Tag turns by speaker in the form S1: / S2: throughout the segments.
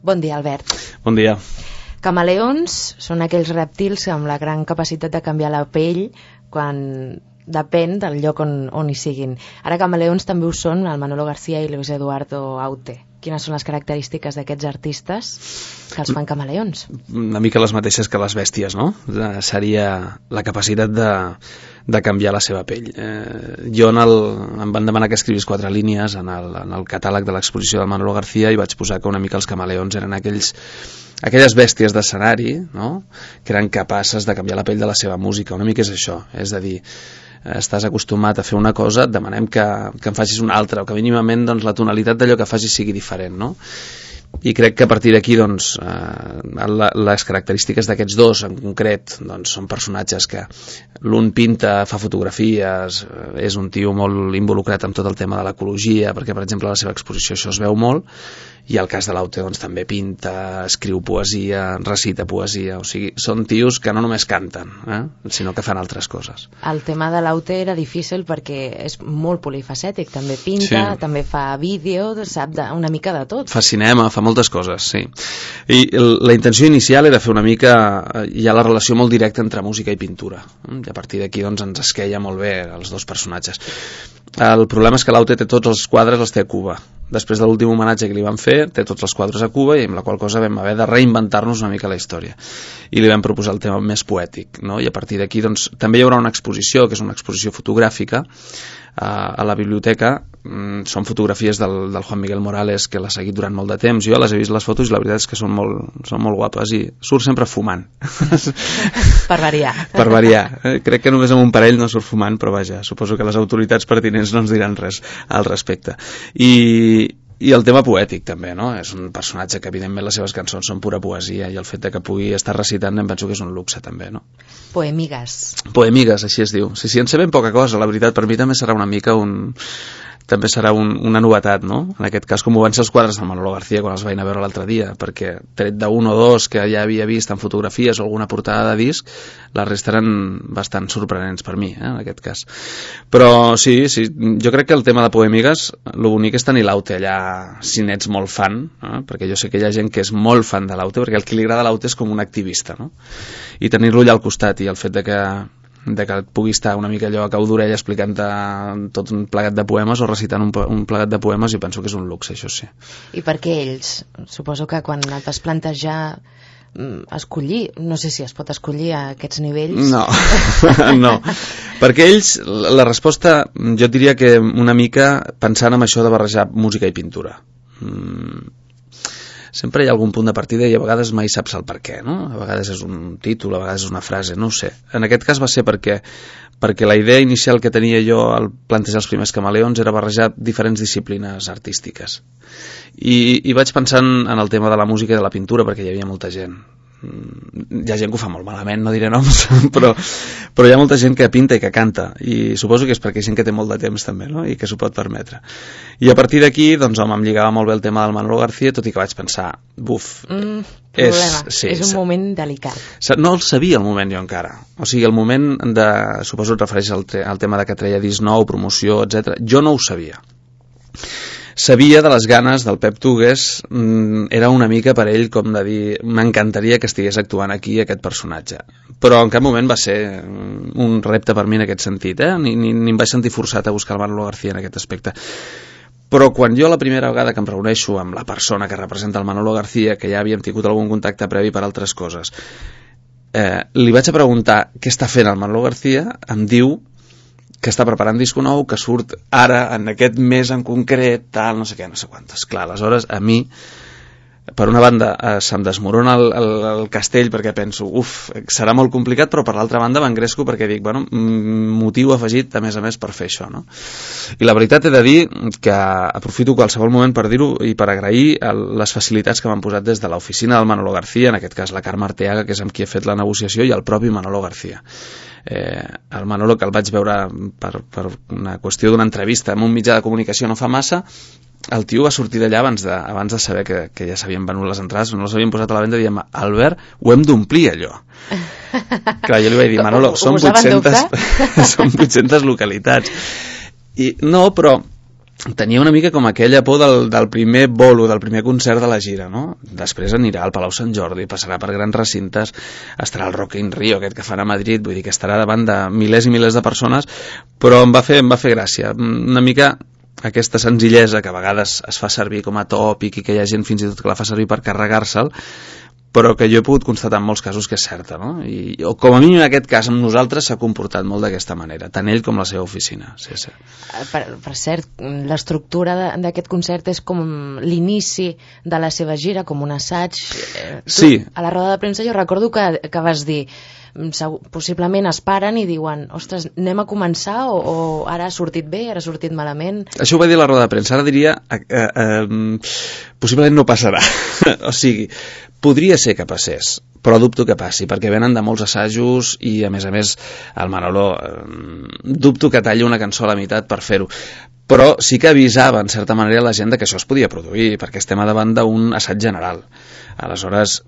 S1: Bon dia, Albert.
S2: Bon dia.
S1: Camaleons són aquells rèptils amb la gran capacitat de canviar la pell quan depèn del lloc on hi siguin. Ara camaleons també ho són el Manolo García i Luis Eduardo Aute. Quines són les característiques d'aquests artistes que els fan camaleons?
S2: Una mica les mateixes que les bèsties, no? Seria la capacitat de canviar la seva pell. Jo em van demanar que escrivís 4 línies en el catàleg de l'exposició del Manolo García i vaig posar que una mica els camaleons eren aquelles bèsties d'escenari, no? Que eren capaces de canviar la pell de la seva música. Una mica és això, és a dir, estàs acostumat a fer una cosa, et demanem que en facis una altra, o que mínimament doncs, la tonalitat d'allò que facis sigui diferent, no? I crec que a partir d'aquí doncs, les característiques d'aquests dos en concret doncs, són personatges que l'un pinta, fa fotografies, és un tio molt involucrat en tot el tema de l'ecologia, perquè per exemple a la seva exposició això es veu molt, i el cas de l'Aute doncs, també pinta, escriu poesia, recita poesia, o sigui, són tios que no només canten, sinó que fan altres coses.
S1: El tema de l'Aute era difícil perquè és molt polifacètic, també pinta, sí. També fa vídeo, sap una mica de tot.
S2: Fa cinema, fa moltes coses, sí. I la intenció inicial era fer una mica, hi ha la relació molt directa entre música i pintura, i a partir d'aquí doncs, ens esqueia molt bé els dos personatges. El problema és que l'Aute té tots els quadres, els té a Cuba. Després de l'últim homenatge que li van fer, té tots els quadres a Cuba i amb la qual cosa vam haver de reinventar-nos una mica la història. I li vam proposar el tema més poètic, no? I a partir d'aquí doncs, també hi haurà una exposició, que és una exposició fotogràfica, a la biblioteca. Són fotografies del Juan Miguel Morales, que l'ha seguit durant molt de temps. Jo les he vist les fotos i la veritat és que són molt guapes i surt sempre fumant.
S1: Per variar.
S2: Per variar. Crec que només amb un parell no surt fumant, però vaja, suposo que les autoritats pertinents no ens diran res al respecte. I el tema poètic també, no? És un personatge que evidentment les seves cançons són pura poesia i el fet de que pugui estar recitant em penso que és un luxe també, no?
S1: Poemigues.
S2: Poemigues, així es diu. Sí, en sé ben poca cosa, la veritat, per mi també serà una mica també serà una novetat, no? En aquest cas, com ho van ser els quadres del Manolo García quan els vaig anar a veure l'altre dia, perquè tret d'un o dos que ja havia vist en fotografies o alguna portada de disc, la resta eren bastant sorprenents per mi, en aquest cas. Però sí, jo crec que el tema de Poemigues, lo bonic és tenir l'Aute allà, si n'ets molt fan, perquè jo sé que hi ha gent que és molt fan de l'Aute, perquè el que li agrada l'Aute és com un activista, no? I tenir-lo allà al costat i el fet de que et pugui estar una mica allò a cau d'orella explicant-te tot un plegat de poemes o recitant un plegat de poemes, jo penso que és un luxe, això sí.
S1: I per què ells? Suposo que quan et vas plantejar escollir, no sé si es pot escollir a aquests nivells.
S2: No, no. Perquè ells, la resposta, jo diria que una mica pensant en això de barrejar música i pintura. Sempre hi ha algun punt de partida i a vegades mai saps el per què, no? A vegades és un títol, a vegades és una frase, no ho sé. En aquest cas va ser perquè la idea inicial que tenia jo al plantejar els primers camaleons era barrejar diferents disciplines artístiques. I vaig pensant en el tema de la música i de la pintura perquè hi havia molta gent. Hi ha gent que ho fa molt malament, no diré noms, però hi ha molta gent que pinta i que canta, i suposo que és perquè hi ha gent que té molt de temps també, no? I que s'ho pot permetre. I a partir d'aquí, doncs home, em lligava molt bé el tema del Manolo García, tot i que vaig pensar,
S1: problema, és un moment delicat.
S2: No el sabia el moment jo encara, o sigui, el moment suposo et refereixes al tema de que treia disc nou, promoció, etc. Jo no ho sabia. Sabia de les ganes del Pep Tugues, era una mica per ell com de dir, m'encantaria que estigués actuant aquí aquest personatge, però en cap moment va ser un repte per mi en aquest sentit, ni em vaig sentir forçat a buscar el Manolo García en aquest aspecte. Però quan jo la primera vegada que em reuneixo amb la persona que representa el Manolo García, que ja havíem tingut algun contacte previ per altres coses, li vaig a preguntar què està fent el Manolo García, em diu que està preparant disco nou, que surt ara, en aquest mes en concret, tal, no sé què, no sé quantes. Clar, aleshores, a mi, per una banda, se'm desmorona el castell perquè penso, serà molt complicat, però per l'altra banda m'engresco perquè dic, bueno, motiu afegit, a més, per fer això, no? I la veritat he de dir que aprofito qualsevol moment per dir-ho i per agrair les facilitats que m'han posat des de l'oficina del Manolo García, en aquest cas la Carme Arteaga, que és amb qui he fet la negociació, i el propi Manolo García. El Manolo, que el vaig veure per una qüestió d'una entrevista en un mitjà de comunicació no fa massa, el tio va sortir d'allà abans de saber que ja s'havien venut les entrades, no les havien posat a la venda, i diem, Albert, ho hem d'omplir allò. Clar, jo li vaig dir, Manolo, són 800 localitats. I no, però tenia una mica com aquella por del primer bolo, del primer concert de la gira, no? Després anirà al Palau Sant Jordi, passarà per grans recintes, estarà al Rock in Rio, aquest que fan a Madrid, vull dir que estarà davant de milers i milers de persones, però em va fer gràcia, una mica aquesta senzillesa que a vegades es fa servir com a tòpic i que hi ha gent fins i tot que la fa servir per carregar-se'l, però que jo he pogut constatar en molts casos que és certa, no? O com a mínim en aquest cas amb nosaltres s'ha comportat molt d'aquesta manera, tant ell com la seva oficina. Sí.
S1: Per cert, l'estructura d'aquest concert és com l'inici de la seva gira, com un assaig.
S2: Sí.
S1: A la roda de premsa jo recordo que vas dir possiblement es paren i diuen ostres, anem a començar o ara ha sortit bé, ara ha sortit malament.
S2: Això ho va dir a la roda de premsa, ara diria possiblement no passarà. O sigui, podria ser que passés, però dubto que passi, perquè venen de molts assajos i a més el Manolo dubto que talli una cançó a la meitat per fer-ho, però sí que avisava en certa manera la gent que això es podia produir, perquè estem davant d'un assaig general. Aleshores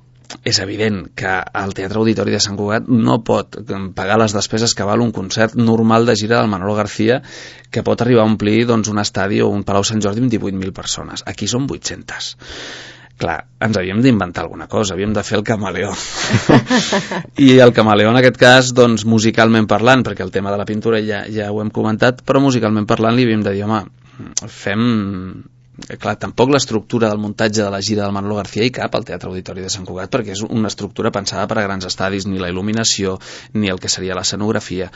S2: és evident que el Teatre Auditori de Sant Cugat no pot pagar les despeses que val un concert normal de gira del Manolo García, que pot arribar a omplir un estadi o un Palau Sant Jordi amb 18.000 persones. Aquí són 800. Clar, ens havíem d'inventar alguna cosa, havíem de fer el camaleó. I el camaleó en aquest cas, musicalment parlant, perquè el tema de la pintura ja ho hem comentat, però musicalment parlant li havíem de dir, home, fem... Clar, tampoc l'estructura del muntatge de la gira del Manolo García hi cap al Teatre Auditori de Sant Cugat, perquè és una estructura pensada per a grans estadis, ni la il·luminació ni el que seria l'escenografia,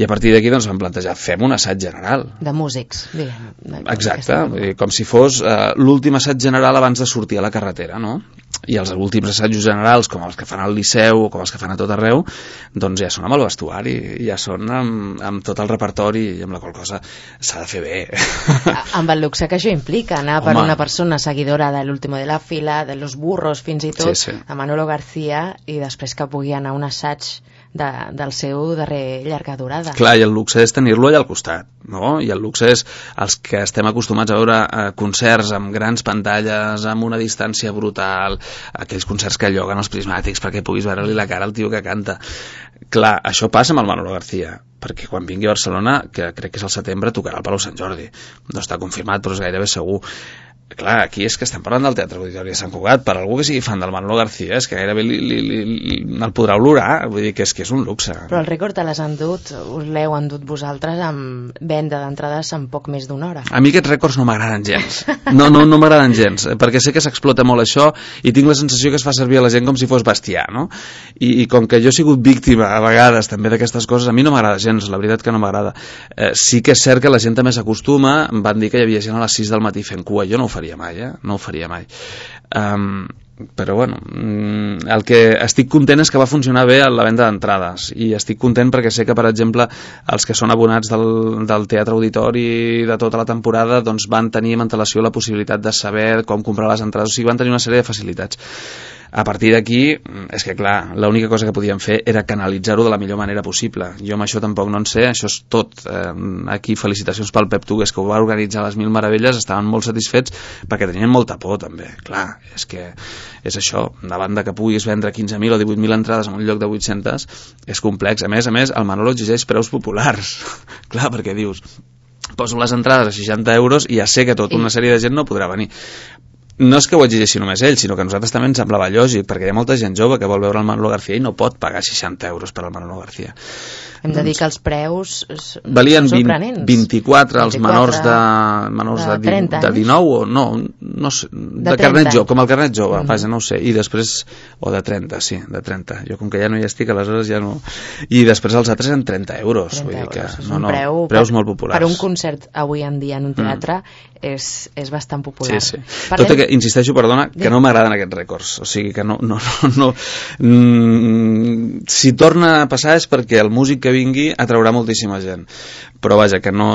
S2: i a partir d'aquí vam plantejar, fem un assaig general
S1: de músics, diguem.
S2: Exacte, com si fos l'últim assaig general abans de sortir a la carretera, no? I els últims assajos generals, com els que fan al Liceu o com els que fan a tot arreu, ja són amb el vestuari, ja són amb tot el repertori, i amb la qual cosa s'ha de fer bé.
S1: Amb el luxe que això implica, anar per una persona seguidora de l'Último de la Fila, de Los Burros fins i tot, a Manolo García, i després que pugui anar a un assaig del seu darrer llarga durada.
S2: Clar, i el luxe és tenir-lo allà al costat, no? I el luxe és els que estem acostumats a veure concerts amb grans pantalles, amb una distància brutal, aquells concerts que lloguen els prismàtics perquè puguis veure-li la cara al tio que canta. Clar, això passa amb el Manolo García, perquè quan vingui a Barcelona, que crec que és al setembre, tocarà al Palau Sant Jordi. No està confirmat, però és gairebé segur. Clar, aquí és que estem parlant del Teatre Auditori de Sant Cugat. Per algú que sigui fan del Manolo García és que gairebé el podrà olorar, vull dir que és un luxe.
S1: Però el rècord us l'heu endut vosaltres amb venda d'entrades en poc més d'una hora.
S2: A mi aquests rècords no m'agraden gens. No m'agraden gens, perquè sé que s'explota molt això i tinc la sensació que es fa servir a la gent com si fos bestiar, no? I com que jo he sigut víctima a vegades també d'aquestes coses, a mi no m'agrada gens, la veritat que no m'agrada. Sí que és cert que la gent també s'acostuma, em van dir que hi havia gent a les 6 del matí fent cua, jo no ho faria mai, no ho faria mai. Però bueno, el que estic content és que va funcionar bé la venda d'entrades, i estic content perquè sé que, per exemple, els que són abonats del Teatre Auditori de tota la temporada van tenir amb antelació la possibilitat de saber com comprar les entrades, o sigui, van tenir una sèrie de facilitats. A partir d'aquí, és que clar, l'única cosa que podíem fer era canalitzar-ho de la millor manera possible. Jo amb això tampoc no en sé, això és tot. Aquí felicitacions pel Pep Tugues, que ho va organitzar a les Mil Meravelles, estaven molt satisfets perquè tenien molta por també. Clar, és que és això, davant de que puguis vendre 15.000 o 18.000 entrades en un lloc de 800, és complex. A més, el Manolo exigeix preus populars. Clar, perquè dius, poso les entrades a 60 euros i ja sé que tota una sèrie de gent no podrà venir. No és que ho exigeixi només ell, sinó que a nosaltres també ens semblava lògic, perquè hi ha molta gent jove que vol veure el Manolo García i no pot pagar 60 euros per al Manolo García.
S1: Hem de dir que els preus
S2: valien
S1: són sorprenents.
S2: 24 els menors de 19 o no sé, de carnet jove, com el carnet jove, vaja, no ho sé, i després, o de 30, sí, de 30. Jo com que ja no hi estic, aleshores ja no... I després els altres eren 30 euros. 30 vull dir que,
S1: euros. No,
S2: preus molt populars.
S1: Per un concert avui en dia en un teatre és bastant popular.
S2: Sí. Tot i que, insisteixo, perdona, que no m'agraden aquests rècords. O sigui que no. Si torna a passar és perquè el músic que vingui atraurà moltíssima gent, però vaja, que no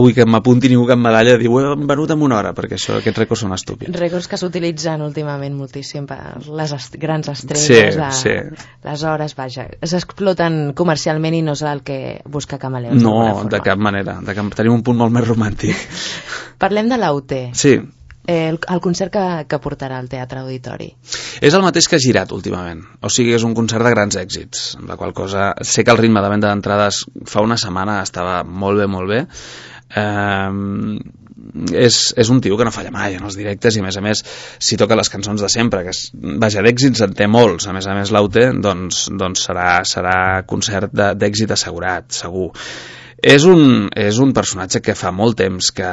S2: vull que m'apunti ningú cap medalla de dir ho hem venut en una hora, perquè aquests rècords són estúpids.
S1: Rècords que s'utilitzen últimament moltíssim per les grans estrelles, les hores, vaja, s'exploten comercialment i no és el que busca Camaleons.
S2: No, de cap manera, tenim un punt molt més romàntic.
S1: Parlem de l'AUT.
S2: Sí.
S1: El concert que portarà al Teatre Auditori.
S2: És el mateix que ha girat últimament, o sigui, és un concert de grans èxits, amb la qual cosa sé que el ritme de venda d'entrades fa una setmana estava molt bé, és un tio que no falla mai en els directes i a més si toca les cançons de sempre, que vaja, d'èxits en té molts, a més l'Aute doncs serà concert d'èxit assegurat, segur. És un personatge que fa molt temps que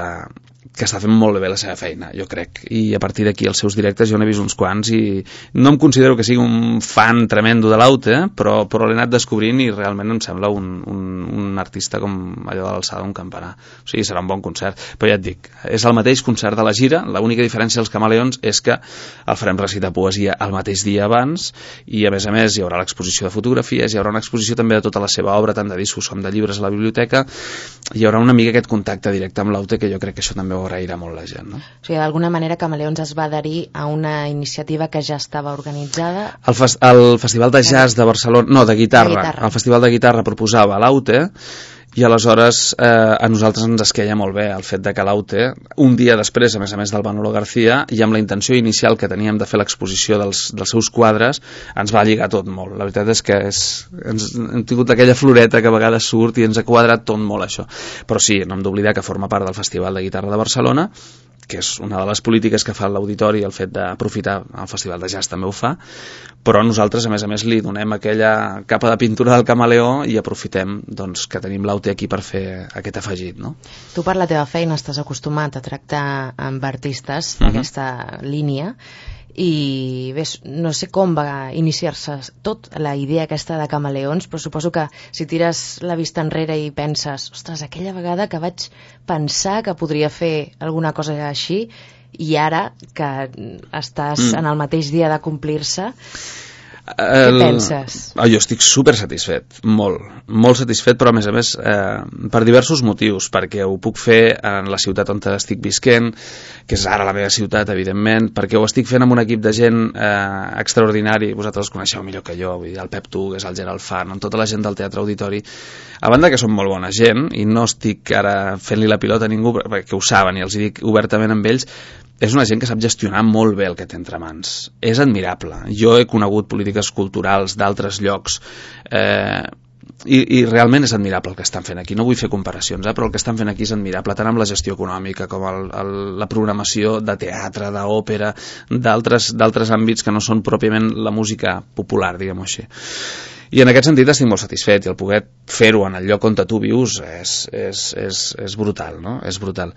S2: està fent molt bé la seva feina, jo crec, i a partir d'aquí els seus directes jo n'he vist uns quants i no em considero que sigui un fan tremendo de l'Aute, però l'he anat descobrint i realment em sembla un artista com allò de l'alçada d'un campanar, o sigui, serà un bon concert, però ja et dic, és el mateix concert de la gira, l'única diferència dels Camaleons és que el farem recitar poesia el mateix dia abans i a més hi haurà l'exposició de fotografies, hi haurà una exposició també de tota la seva obra, tant de discos com de llibres a la biblioteca, hi haurà una mica aquest contacte directe amb l'Aute que jo crec que això també ho agrairà molt la gent, no?
S1: O sigui, d'alguna manera Camaleons es va adherir a una iniciativa que ja estava organitzada.
S2: El Festival de Jazz de Barcelona, no, de guitarra. El Festival de Guitarra proposava l'Aute i aleshores a nosaltres ens esqueia molt bé el fet de que l'Aute, un dia després, a més del Manolo García, i amb la intenció inicial que teníem de fer l'exposició dels seus quadres, ens va lligar tot molt. La veritat és que hem tingut aquella floreta que a vegades surt i ens ha quadrat tot molt això. Però sí, no hem d'oblidar que forma part del Festival de Guitarra de Barcelona, que és una de les polítiques que fa l'auditori, el fet d'aprofitar el Festival de Jazz també ho fa, però nosaltres a més li donem aquella capa de pintura del camaleó i aprofitem doncs, que tenim l'Aute aquí per fer aquest afegit, no?
S1: Tu per la teva feina estàs acostumat a tractar amb artistes d'aquesta línia i bé, no sé com va iniciar-se tot la idea aquesta de Camaleons, però suposo que si tires la vista enrere i penses, ostres, aquella vegada que vaig pensar que podria fer alguna cosa així i ara que estàs en el mateix dia de complir-se, què penses?
S2: Jo estic super satisfet, molt satisfet, però a més per diversos motius, perquè ho puc fer en la ciutat on estic visquent, que és ara la meva ciutat, evidentment, perquè ho estic fent amb un equip de gent extraordinari, vosaltres els coneixeu millor que jo, vull dir, el Pep Tugues, el Gerald Fan, amb tota la gent del Teatre Auditori, a banda que són molt bona gent, i no estic ara fent-li la pilota a ningú, perquè ho saben i els dic obertament amb ells, és una gent que sap gestionar molt bé el que té entre mans. És admirable. Jo he conegut polítiques culturals d'altres llocs i realment és admirable el que estan fent aquí. No vull fer comparacions, però el que estan fent aquí és admirable, tant amb la gestió econòmica com la programació de teatre, d'òpera, d'altres àmbits que no són pròpiament la música popular, diguem-ho així. I en aquest sentit estic molt satisfet i el poder fer-ho en el lloc on tu vius és brutal, no? És brutal.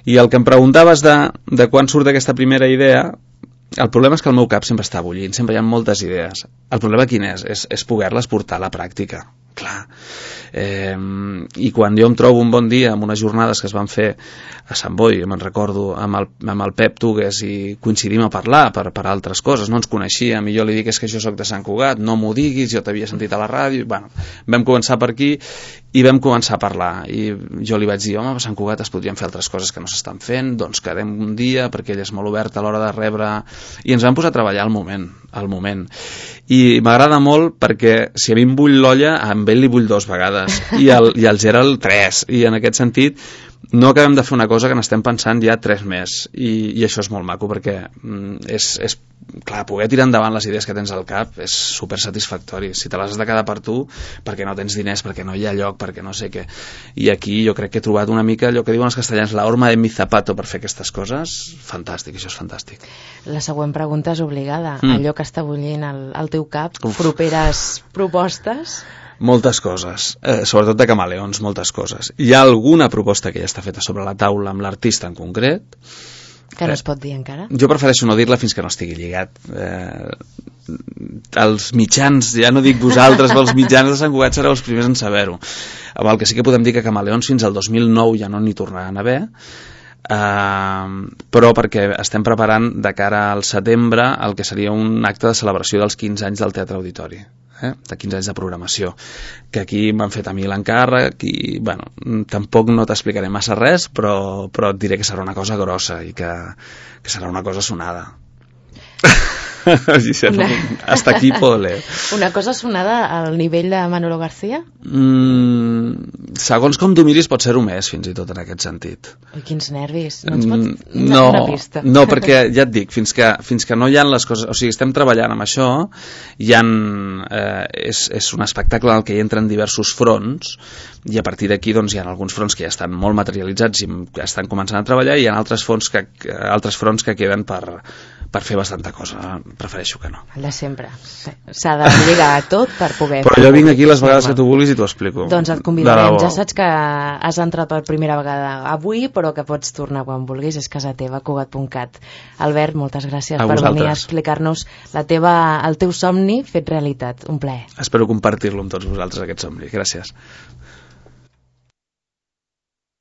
S2: I el que em preguntaves de quan surt aquesta primera idea, el problema és que el meu cap sempre està bullint, sempre hi ha moltes idees. El problema quin és? És poder-les portar a la pràctica. Clar. I quan jo em trobo un bon dia amb unes jornades que es van fer a Sant Boi, me'n recordo, amb el Pep Tugues i coincidim a parlar per altres coses, no ens coneixíem i jo li dic és que jo soc de Sant Cugat, no m'ho diguis, jo t'havia sentit a la ràdio, bueno, vam començar per aquí i vam començar a parlar i jo li vaig dir, home, a Sant Cugat es podrien fer altres coses que no s'estan fent, doncs quedem un dia perquè ell és molt obert a l'hora de rebre i ens vam posar a treballar al moment i m'agrada molt perquè si a mi em bull l'olla, amb ell li bull 2 vegades i el Gerald 3 i en aquest sentit no acabem de fer una cosa que n'estem pensant ja 3 més i això és molt maco perquè és clar, poder tirar endavant les idees que tens al cap és super satisfactori, si te les has de quedar per tu perquè no tens diners, perquè no hi ha lloc perquè no sé què, i aquí jo crec que he trobat una mica allò que diuen els castellans, la horma de mi zapato per fer aquestes coses, fantàstic, això és fantàstic.
S1: La següent pregunta és obligada, allò que està bullint al teu cap, properes propostes?
S2: Moltes coses, sobretot de Camaleons, moltes coses. Hi ha alguna proposta que ja està feta sobre la taula amb l'artista en concret,
S1: que no es pot dir encara?
S2: Jo prefereixo no dir-la fins que no estigui lligat. Els mitjans, ja no dic vosaltres, però els mitjans de Sant Cugat sereu els primers en saber-ho. Amb el que sí que podem dir que Camaleons fins al 2009 ja no n'hi tornaran a haver, però perquè estem preparant de cara al setembre el que seria un acte de celebració dels 15 anys del Teatre Auditori, de 15 anys de programació, que aquí m'han fet a mi l'encàrrec i bueno, tampoc no t'explicaré massa res, però et diré que serà una cosa grossa i que serà una cosa sonada. Hasta aquí puedo leer.
S1: Una cosa sonada al nivell de Manolo García?
S2: segons com t'ho miris pot ser-ho més, fins i tot en aquest sentit.
S1: Ui, quins nervis. No ens pots donar una pista?
S2: No, perquè ja et dic, fins que no hi ha les coses, o sigui, estem treballant amb això, és un espectacle en el que hi entren diversos fronts, i a partir d'aquí doncs, hi ha alguns fronts que ja estan molt materialitzats i estan començant a treballar, i hi ha altres fronts que queden per fer bastanta cosa. Prefereixo que no.
S1: El de sempre. S'ha de lligar a tot per poder...
S2: Però jo vinc aquí les vegades que tu vulguis i t'ho explico.
S1: Doncs et convidarem. Ja saps que has entrat per primera vegada avui, però que pots tornar quan vulguis. És casa teva, Cugat.cat. Albert, moltes gràcies per venir a explicar-nos el teu somni fet realitat. Un plaer.
S2: Espero compartir-lo amb tots vosaltres, aquest somni. Gràcies.